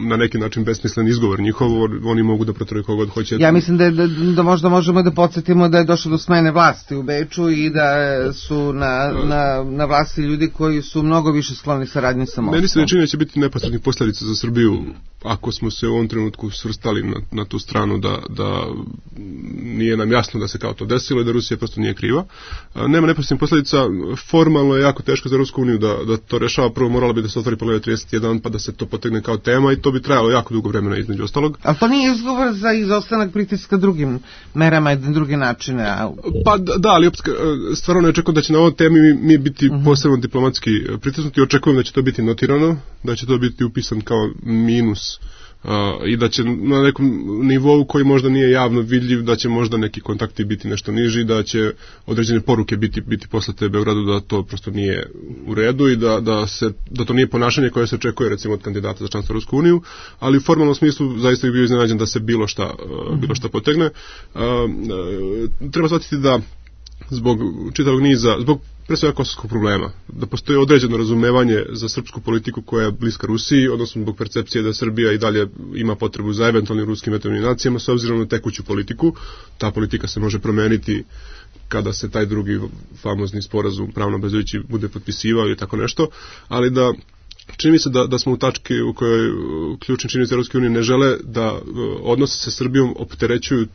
na neki način besmislen izgovor njihov, oni mogu da proteraju kogod hoće. Ja mislim da, da, da možda možemo da podsjetimo da je došlo do smene vlasti u Beču i da su na, na, na vlasti ljudi koji su mnogo više skloni saradnji sa Moskvom. Meni se ne čini da će biti neposrednih posljedica za Srbiju ako smo se u ovom trenutku svrstali na, na tu stranu da, da nije nam jasno da se kao to desilo i da Rusija prosto nije kriva. Nema neposrednih posljedica, formalno je jako teško za Rusku uniju da, da to rešava, prvo moralo bi da se otvori poglavlje trideset jedan pa da se to potegne kao tema i to bi trajalo jako dugo vremena između ostalog. Ali to nije izgovor za izostanak pritiska drugim merama i druge načine? A... Pa da, ali stvarno ne očekujem da će na ovoj temi mi, mi biti uh-huh. posebno diplomatski pritisnuti, očekujem da će to biti notirano, da će to biti upisan kao minus uh, i da će na nekom nivou koji možda nije javno vidljiv, da će možda neki kontakti biti nešto niži, da će određene poruke biti biti poslate Beogradu da to prosto nije u redu i da, da, se, da to nije ponašanje koje se očekuje recimo od kandidata za članstvo u Rusku uniju, ali u formalnom smislu zaista je bio iznenađen da se bilo šta, uh, bilo šta potegne. Uh, uh, treba shvatiti da zbog čitavog niza, zbog pre svega kosovskog problema, da postoji određeno razumevanje za srpsku politiku koja je bliska Rusiji, odnosno zbog percepcije da Srbija i dalje ima potrebu za eventualnim ruskim veterinacijama s obzirom na tekuću politiku. Ta politika se može promeniti kada se taj drugi famozni sporazum pravno obavezujući bude potpisivao ili tako nešto, ali da čini mi se da, da smo u tački u kojoj ključni činilac Europske unije ne žele da odnose sa Srbijom opterećuju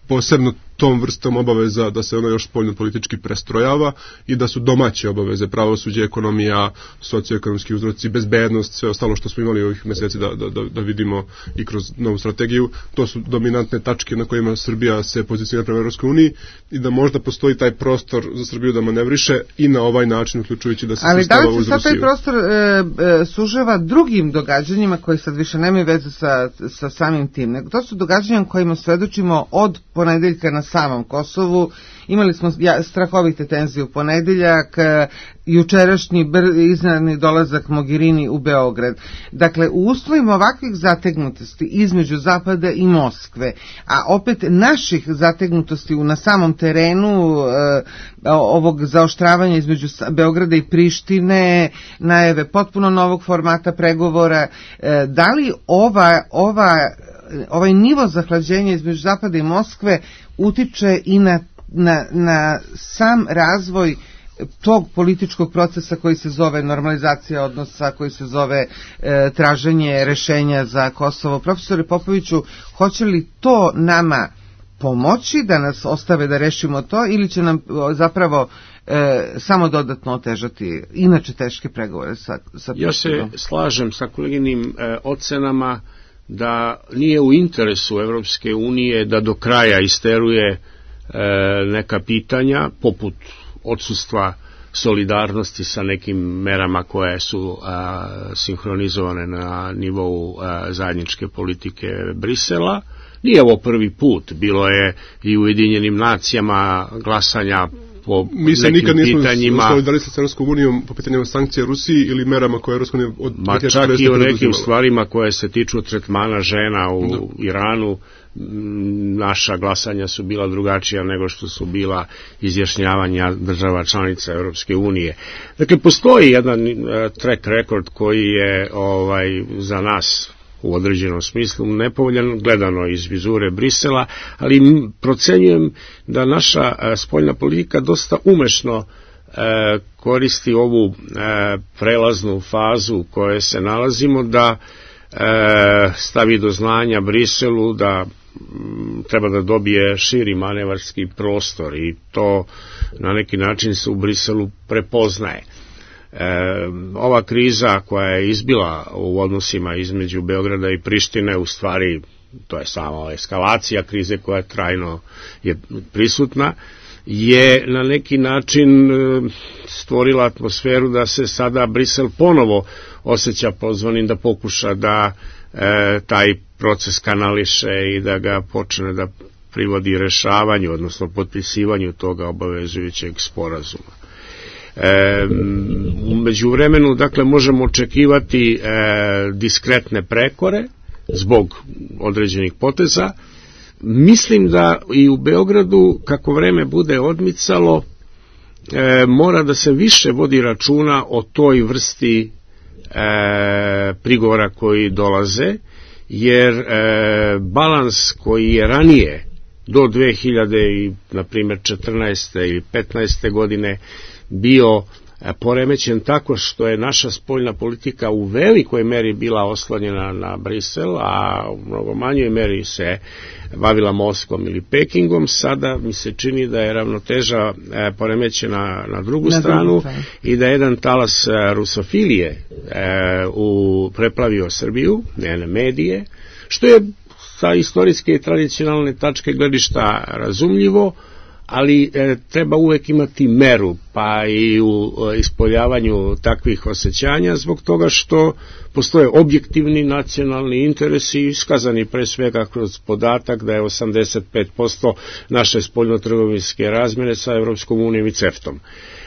posebno tom vrstom obaveza da se ono još spoljno politički prestrojava i da su domaće obaveze, pravosuđe, ekonomija, socioekonomski uzroci, bezbednost, sve ostalo što smo imali ovih meseci da, da, da vidimo i kroz novu strategiju, to su dominantne tačke na kojima Srbija se pozicionira prema Europskoj uniji i da možda postoji taj prostor za Srbiju da manevriše i na ovaj način uključujući da se ali svrstava uz Rusiju. Ali da li se sad taj prostor e, e, sužava drugim događanjima koji sad više nemaju veze sa, sa samim tim, nego to su događanja kojima svedočimo od ponedeljka na samom Kosovu. Imali smo strahovite tenzije u ponedeljak, jučerašnji iznenadni dolazak Mogherini u Beograd. Dakle, u uslovima ovakvih zategnutosti između Zapada i Moskve, a opet naših zategnutosti na samom terenu e, ovog zaoštravanja između Beograda i Prištine, najave potpuno novog formata pregovora, e, da li ova, ova, ovaj nivo zahlađenja između Zapada i Moskve utiče i na Na, na sam razvoj tog političkog procesa koji se zove normalizacija odnosa, koji se zove e, traženje rešenja za Kosovo. Profesore Popoviću, hoće li to nama pomoći da nas ostave da rešimo to ili će nam zapravo e, samo dodatno otežati inače teške pregovore sa, sa Ja se slažem sa koleginim e, ocenama da nije u interesu Evropske unije da do kraja isteruje neka pitanja poput odsustva solidarnosti sa nekim merama koje su a, sinhronizovane na nivou a, zajedničke politike Brisela. Nije ovo prvi put, bilo je i u Ujedinjenim nacijama glasanja po Mi se nekim nikad nismo pitanjima. solidarisali sa Europskom unijom po pitanjima sankcija Rusiji ili merama koje Europska unija od Ma čak i o nekim stvarima koje se tiču tretmana žena u no. Iranu. Naša glasanja su bila drugačija nego što su bila izjašnjavanja država članica Europske unije. Dakle, postoji jedan uh, track record koji je ovaj za nas u određenom smislu nepovoljan, gledano iz vizure Brisela, ali procenjujem da naša uh, spoljna politika dosta umešno uh, koristi ovu uh, prelaznu fazu u kojoj se nalazimo, da uh, stavi do znanja Briselu da treba da dobije širi manevarski prostor i to na neki način se u Briselu prepoznaje. E, ova kriza koja je izbila u odnosima između Beograda i Prištine, u stvari to je samo eskalacija krize koja trajno je prisutna, je na neki način stvorila atmosferu da se sada Brisel ponovo osjeća pozvanim da pokuša da e, taj proces kanališe i da ga počne da privodi rešavanju, odnosno potpisivanju toga obavezujućeg sporazuma. E, u međuvremenu, dakle, možemo očekivati e, diskretne prekore zbog određenih poteza. Mislim da i u Beogradu, kako vreme bude odmicalo, e, mora da se više vodi računa o toj vrsti e, prigovora koji dolaze, jer e, balans koji je ranije do dve hiljade četrnaeste ili petnaeste godine bio poremećen tako što je naša spoljna politika u velikoj meri bila oslonjena na Brisel, a u mnogo manjoj meri se bavila Moskvom ili Pekingom. Sada mi se čini da je ravnoteža poremećena na drugu na stranu drugu i da je jedan talas rusofilije e, u, preplavio Srbiju, njene medije, što je sa istorijske i tradicionalne tačke gledišta razumljivo, ali e, treba uvek imati meru, pa i u e, ispoljavanju takvih osjećanja, zbog toga što postoje objektivni nacionalni interesi iskazani pre svega kroz podatak da je osamdeset pet posto naše spoljnotrgovinske razmjene sa Evropskom unijom i CEFTA-om.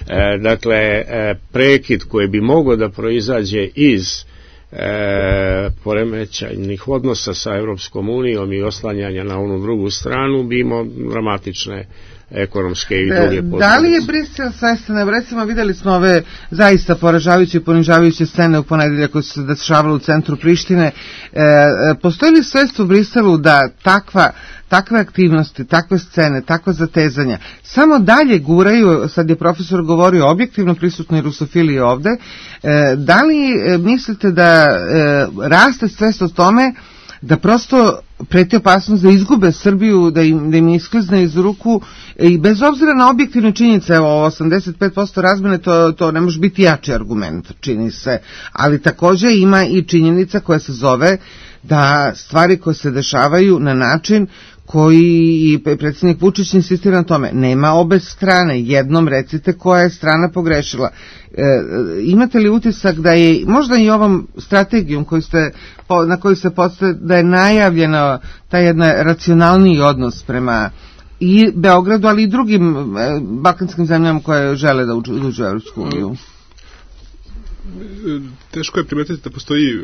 E, dakle, e, prekid koji bi mogao da proizađe iz E, poremećajnih odnosa sa Evropskom unijom i oslanjanja na onu drugu stranu bi imao dramatične ekonomske i druge posljedice. Da li je Brisel svestan? Recimo videli smo ove zaista poražavajuće i ponižavajuće scene u ponedeljak koje su se dešavale u centru Prištine. E, postoji li svest u Briselu da takva takve aktivnosti, takve scene, takva zatezanja samo dalje guraju, sad je profesor govorio objektivno prisutnoj rusofiliji ovde, e, da li e, mislite da e, raste svest o tome da prosto preti opasnost da izgube Srbiju, da im, da im isklizne iz ruku i bez obzira na objektivne činjenice, evo osamdeset pet posto razmene, to, to ne može biti jači argument, čini se, ali takođe ima i činjenica koja se zove da stvari koje se dešavaju na način koji i predsjednik Vučić insistira na tome, nema obe strane, jednom recite koja je strana pogrešila. E, imate li utisak da je možda i ovom strategijom koju ste, na koju se postoje, da je najavljeno taj jedan racionalniji odnos prema i Beogradu, ali i drugim e, balkanskim zemljama koje žele da uđu, uđu u Evropsku uniju? Teško je primetiti da postoji uh,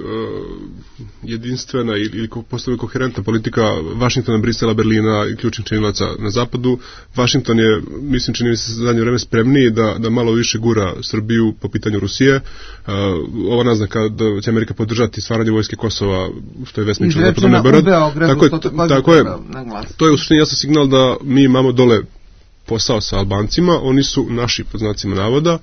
jedinstvena ili, ili postoji koherentna politika Vašingtona, Brisela, Berlina i ključnih činilaca na zapadu. Vašington je, mislim, čini mi se za zadnje vreme spremniji da, da malo više gura Srbiju po pitanju Rusije. Uh, ova naznaka da će Amerika podržati stvaranje vojske Kosova, što je vesnično zapadno na Beograd. Tako je, tako je, to je u suštini jasan signal da mi imamo dole posao sa Albancima, oni su naši, pod znacima navoda,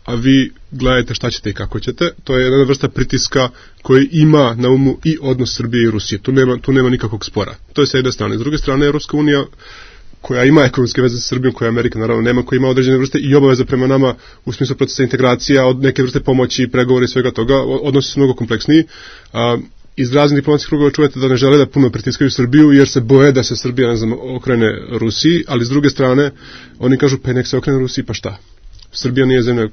a vi gledajte šta ćete i kako ćete. To je jedna vrsta pritiska koji ima na umu i odnos Srbije i Rusije. Tu nema, tu nema nikakvog spora. To je sa jedne strane. S druge strane, Evropska unija, koja ima ekonomske veze sa Srbijom, koja Amerika naravno nema, koja ima određene vrste i obaveze prema nama u smislu procesa integracija, od neke vrste pomoći, pregovora i svega toga, odnosi su mnogo kompleksniji. A, iz raznih diplomatskih krugova čujete da ne žele da puno pritiskaju Srbiju jer se boje da se Srbija, ne znam, okrene Rusiji, ali s druge strane oni kažu pa nek se okrene Rusiji, pa šta? Srbija nije zemlja,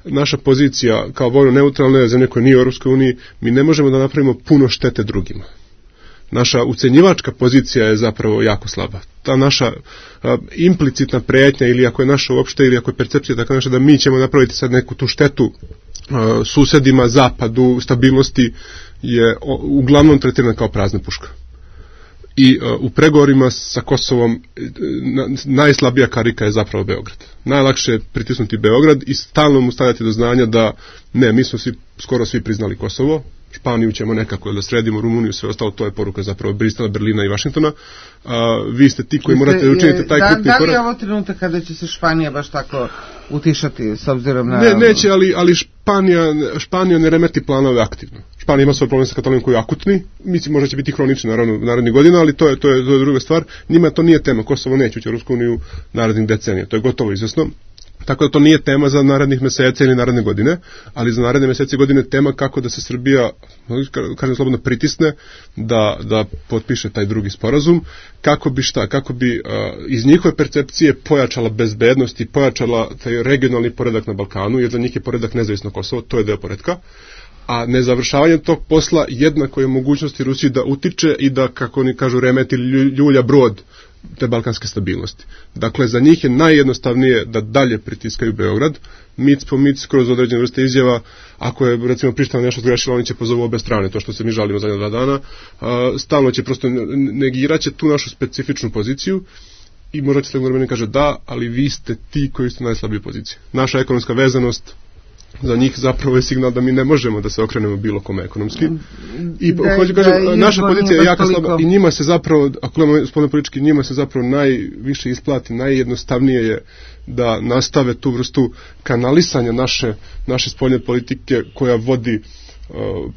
naša pozicija kao vojno neutralna je zemlja koja nije u Europskoj uniji, mi ne možemo da napravimo puno štete drugima. Naša ucenjivačka pozicija je zapravo jako slaba. Ta naša a, implicitna pretnja, ili ako je naša uopšte, ili ako je percepcija tako naša da mi ćemo napraviti sad neku tu štetu a, susedima, zapadu, stabilnosti, je o, uglavnom tretirana kao prazna puška. I uh, u pregovorima sa Kosovom na, najslabija karika je zapravo Beograd. Najlakše je pritisnuti Beograd i stalno mu stavljati do znanja da ne, mi smo svi, skoro svi priznali Kosovo, Španiju ćemo nekako da sredimo, Rumuniju, sve ostalo, to je poruka zapravo Bristela, Berlina i Vašingtona. Uh, vi ste ti koji morate učiniti taj da, krupni korak. Da li je ovo trenutak kada će se Španija baš tako utišati s obzirom na... Ne, neće, ali, ali Španija, Španija ne remeti planove aktivno. Španija ima svoj problem sa Katalonijom koji je akutni, mislim možda će biti hronični naravno narednih godina, ali to je, to je, to je druga stvar. Njima to nije tema, Kosovo neće ući u Rusku uniju narednih decenija, to je gotovo izvjesno. Tako da to nije tema za narednih meseca ili naredne godine, ali za naredne mesece i godine tema kako da se Srbija, kažem slobodno, pritisne da, da potpiše taj drugi sporazum, kako bi šta, kako bi uh, iz njihove percepcije pojačala bezbednost i pojačala taj regionalni poredak na Balkanu, jer za njih je poredak nezavisno Kosovo, to je deo poredka, a nezavršavanje tog posla jednako je mogućnosti Rusiji da utiče i da, kako oni kažu, remeti ljulja brod te balkanske stabilnosti. Dakle, za njih je najjednostavnije da dalje pritiskaju Beograd, mic po mic, kroz određene vrste izjava. Ako je, recimo, Priština nešto zgrešila, oni će pozovu obe strane, to što se mi žalimo zadnja dva dana, a, stalno će prosto negiraće tu našu specifičnu poziciju i možda će se vremena kaže da, ali vi ste ti koji ste u najslabijoj poziciji. Naša ekonomska vezanost za njih zapravo je signal da mi ne možemo da se okrenemo bilo kome ekonomski. I da, hoću da, kažem, da, naša pozicija je jako toliko slaba i njima se zapravo, ako gledamo spoljno politički, njima se zapravo najviše isplati, najjednostavnije je da nastave tu vrstu kanalisanja naše, naše spoljne politike koja vodi uh,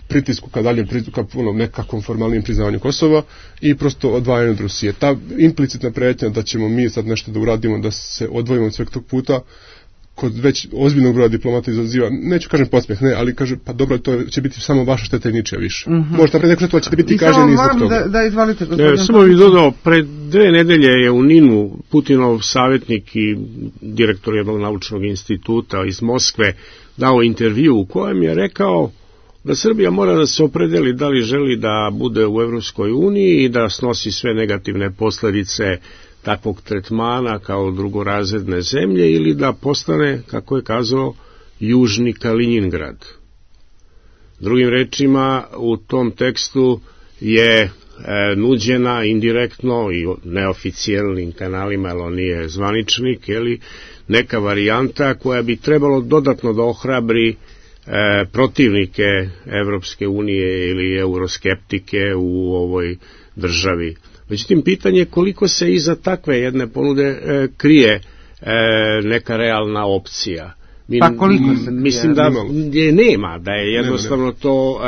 pritisku ka daljem, ka ono, nekakvom formalnim priznavanju Kosova i prosto odvajanju od Rusije. Ta implicitna prijetnja da ćemo mi sad nešto da uradimo, da se odvojimo od sveg tog puta, kod već ozbiljnog broja diplomata izaziva, neću kažem podsmeh, ne, ali kaže, pa dobro, to će biti samo vaša šteta i ničija više. Mm-hmm. Možete napred neko što ćete biti kaženi zbog toga. Da, da izvalite, gospodin. Ne, samo bih dodao, pred dve nedelje je u Ninu Putinov savjetnik i direktor jednog naučnog instituta iz Moskve dao intervju u kojem je rekao da Srbija mora da se opredeli da li želi da bude u Evropskoj uniji i da snosi sve negativne posljedice takvog tretmana kao drugorazredne zemlje ili da postane, kako je kazao, južni Kaliningrad. Drugim rečima, u tom tekstu je e, nuđena indirektno i neoficijalnim kanalima, ali on nije zvaničnik, jeli, neka varijanta koja bi trebalo dodatno da ohrabri e, protivnike Evropske unije ili euroskeptike u ovoj državi. Međutim, pitanje je koliko se iza takve jedne ponude e, krije e, neka realna opcija. Mi, pa koliko se krije? Mislim da je nema, da je jednostavno nema, nema. to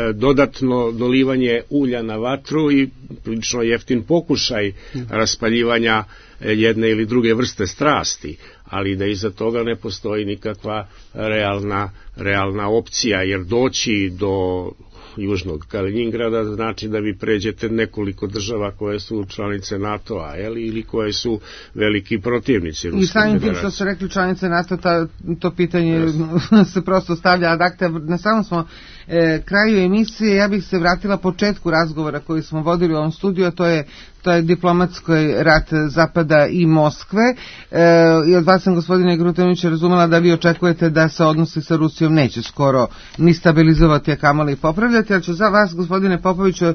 e, dodatno dolivanje ulja na vatru i prilično jeftin pokušaj hmm. raspaljivanja jedne ili druge vrste strasti, ali da iza toga ne postoji nikakva realna, realna opcija, jer doći do južnog Kaliningrada znači da vi pređete nekoliko država koje su članice NATO-a, jeli, ili koje su veliki protivnici Ruske i samim tim federacije. što su rekli članice NATO, ta, to pitanje yes. se prosto stavlja ad acta. Na samom smo e, kraju emisije. Ja bih se vratila početku razgovora koji smo vodili u ovom studiju, a to je to je diplomatski rat Zapada i Moskve. E, I od vas sam, gospodine Grutanović, razumela da vi očekujete da se odnosi sa Rusijom neće skoro ni stabilizovati, a kamoli popravljati, ali ću za vas, gospodine Popoviću,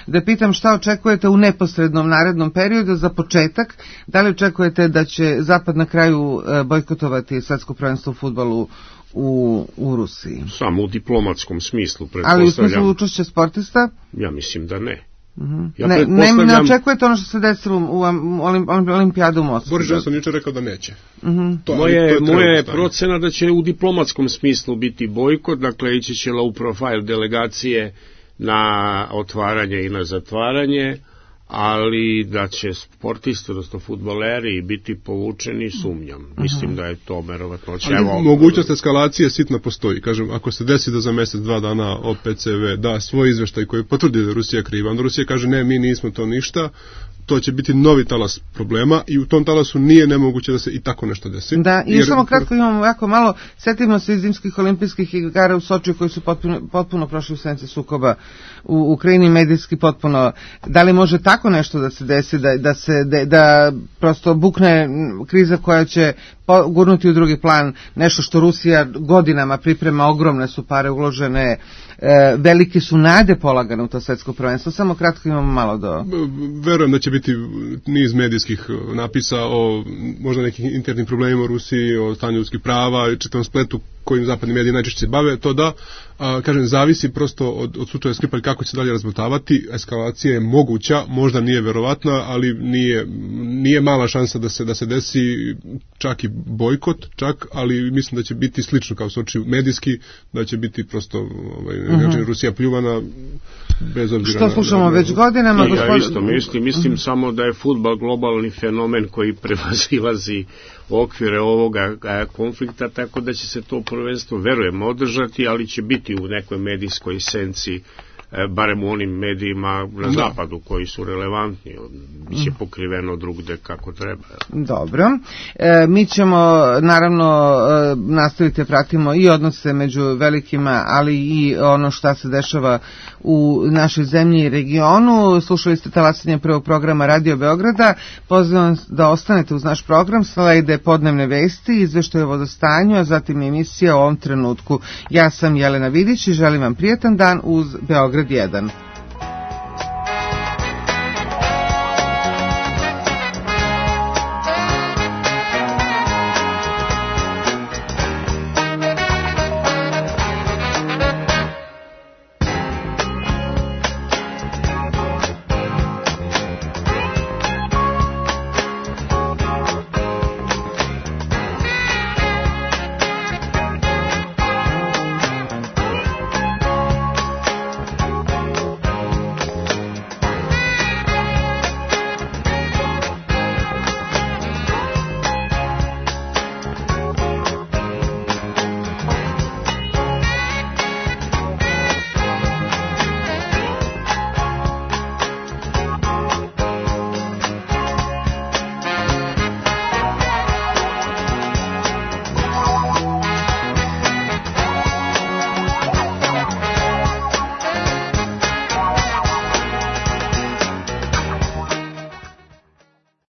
da pitam šta očekujete u neposrednom narednom periodu. Za početak, da li očekujete da će Zapad na kraju bojkotovati svetsko prvenstvo u fudbalu u, u Rusiji? Samo u diplomatskom smislu, pretpostavljam. Ali u smislu učešća sportista? Ja mislim da ne. Mm-hmm. Ja ne, pretpostavljam... ne, ne očekujete ono što se desilo u, u Olimpijadu u Moskvi? Boris Johnson niče rekao da neće. Mm-hmm. To, moje to je moje procena da će u diplomatskom smislu biti bojkot, dakle ići će low profile delegacije na otvaranje i na zatvaranje, ali da će sportisti, odnosno fudbaleri biti povučeni, sumnjam. Uh-huh. Mislim da je to verovatnoće. Ali mogućnost eskalacije sitno postoji. Kažem, ako se desi da za mjesec, dva dana O P C V da svoj izveštaj koji potvrdi da Rusija kriva, onda Rusija kaže ne, mi nismo to ništa, to će biti novi talas problema i u tom talasu nije nemoguće da se i tako nešto desi. Da, i jer... samo kratko imamo jako malo, setimo se iz zimskih olimpijskih igara u Sočiju koji su potpuno, potpuno prošli u senci sukoba u Ukrajini, medijski potpuno, da li može tako nešto da se desi, da, da se, da, da prosto bukne kriza koja će gurnuti u drugi plan nešto što Rusija godinama priprema, ogromne su pare uložene, e, velike su nade polagane u to svetsko prvenstvo, samo kratko imamo malo do... Verujem da će biti niz medijskih napisa o možda nekim internim problemima u Rusiji, o stanju ljudskih prava i čitavom spletu kojim zapadni mediji najčešće se bave, to da, a, kažem, zavisi prosto od, od slučaja Skripalj kako će se dalje razmotavati. Eskalacija je moguća, možda nije verovatna, ali nije, nije mala šansa da se, da se desi čak i bojkot, čak, ali mislim da će biti slično kao Soči medijski, da će biti prosto ovaj, uh-huh. Rusija pljuvana bez obzira. Što slušamo na, na, već godinama? I gospod... Ja isto mislim, mislim uh-huh. samo da je fudbal globalni fenomen koji prevazilazi okvire ovoga konflikta, tako da će se to prvenstvo, verujem, održati, ali će biti u nekoj medijskoj senci, barem u onim medijima na zapadu koji su relevantni, biće pokriveno drugde kako treba. Dobro. E, mi ćemo naravno e, nastaviti pratimo i odnose među velikima, ali i ono šta se dešava u našoj zemlji i regionu. Slušali ste talasanje prvog programa Radio Beograda. Pozivam da ostanete uz naš program. Slede podnevne vesti, izveštaj o vodostanju, a zatim emisija o ovom trenutku. Ja sam Jelena Vidić i želim vam prijetan dan uz Beograd jedan.